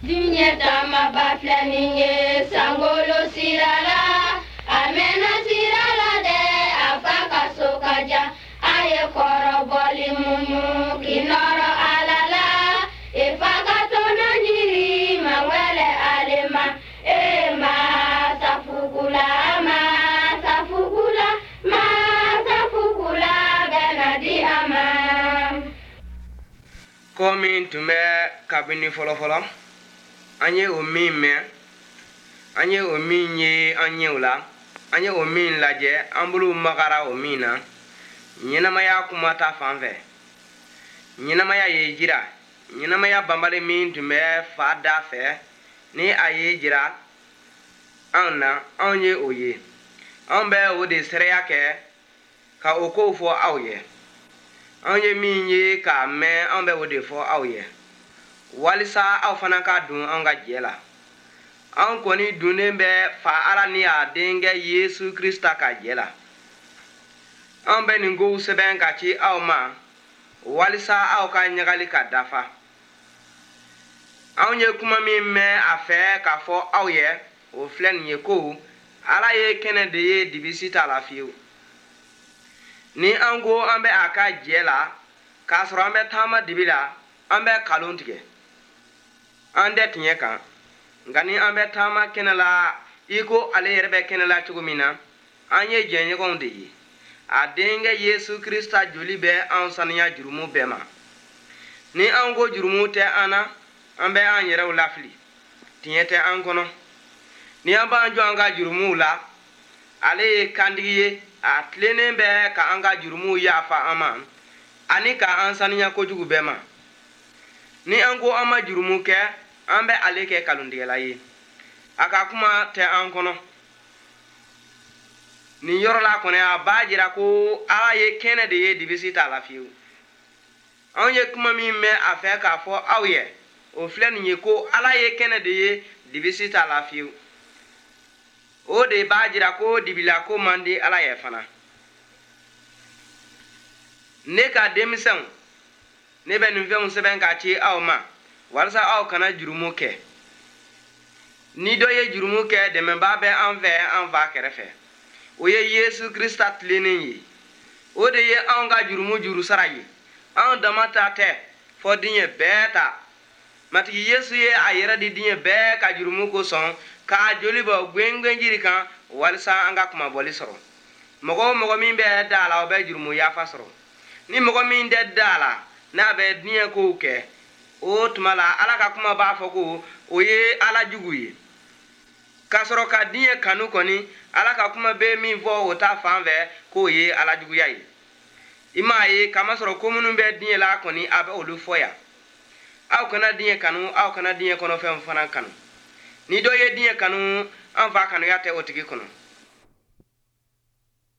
Diɲɛ taamaba filɛ nin ye sankolo sira la, a mɛnna sira la dɛ, a fa ka so ka jan. A ye kɔrɔbɔli muɲu k'i nɔrɔ Ala la, i fa ka tɔnɔ ɲini mawɛlɛ ale ma. E masafugula, masafugula, masafugula bɛ na di a ma. Ko min tun bɛ kabini fɔlɔfɔlɔ, an ye o min mɛn, an ye o min ye an ɲɛw la, an ye o min lajɛ, an bolow magara o min na, ɲɛnamaya kuma ta fan fɛ. Ɲɛnamaya ye jira, ɲɛnamaya banbali min tun bɛ fa da fɛ, ni a ye jira anw na, anw ye o ye. Anw bɛ o de seereya kɛ ka o kow fɔ aw ye. Anw ye min ye k'a mɛn, anw bɛ o de fɔ aw ye, walisa aw fana ka don an ka jɛ la. Anw kɔni donnen bɛ fa Ala ni a denkɛ Yesu Krista ka jɛ la. Anw bɛ nin kow sɛbɛn ka ci aw ma, walisa aw ka ɲagali ka dafa. Anw ye kuma min mɛn a fɛ k'a fɔ aw ye, o filɛ nin ye ko Ala ye kɛnɛ de ye, dibisi t'a la fiyewu. Ni an ko an bɛ a ka jɛ la, k'a sɔrɔ an bɛ taama dibi la, an bɛ kalon tigɛ, an tɛ tiɲɛ kan. Nka ni an bɛ taama kɛnɛ la i ko ale yɛrɛ bɛ kɛnɛ la cogo min na, an ye jɛɲɔgɔnw de ye. A denkɛ Yesu Krista joli bɛ an saniya jurumu bɛɛ ma. Ni an ko jurumu tɛ an na, an bɛ an yɛrɛw lafili, tiɲɛ tɛ an kɔnɔ. Ni an b'an jɔ an ka jurumuw la, ale ye kantigi ye, a tilennen bɛ ka an ka jurumuw yafa an ma ani ka an saniya kojugu bɛɛ ma. Ni an ko an ma jurumu kɛ, an bɛ ale kɛ kalontigɛla ye, a ka kuma tɛ an kɔnɔ. Nin yɔrɔ la kɔni, a b'a jira ko Ala ye kɛnɛ de ye, dibisi t'a la fiyewu. Anw ye kuma min mɛn a fɛ k'a fɔ aw ye, o filɛ nin ye ko Ala ye kɛnɛ de ye, dibisi t'a la fiyewu. O de b'a jira ko dibilako man di Ala ye fana. Ne ka denmisɛnw, ne bɛ nin fɛnw sɛbɛn ka ci aw ma, walasa aw kana jurumu kɛ. Ni dɔ ye jurumu kɛ, dɛmɛbaa bɛ an fɛ an fa kɛrɛfɛ, o ye Yesu Krista tilennen ye. O de ye anw ka jurumu juru sara ye, anw dama ta tɛ, fɔ diɲɛ bɛɛ ta. Matigi Yesu ye a yɛrɛ di diɲɛ bɛɛ ka jurumu kosɔn, k'a joli bɔ gwengwenjiri kan, walisa an ka kunmabɔli sɔrɔ. Mɔgɔ o mɔgɔ min bɛ da a la, o bɛ jurumu yafa sɔrɔ. Ni mɔgɔ min tɛ da a la, n'a bɛ diɲɛ kow kɛ, o tuma la Ala ka kuma b'a fɔ ko o ye Ala jugu ye. K'a sɔrɔ ka diɲɛ kanu kɔni, Ala ka kuma bɛ min fɔ o ta fan fɛ, k'o ye Ala juguya ye. I m'a ye, kamasɔrɔ ko minnu bɛ diɲɛ la kɔni, a bɛ olu fɔ yan. Aw kana diɲɛ kanu, aw kana diɲɛ kɔnɔfɛnw fana kanu. Ni dɔ ye diɲɛ kanu, an fa kanuya tɛ o tigi kɔnɔ.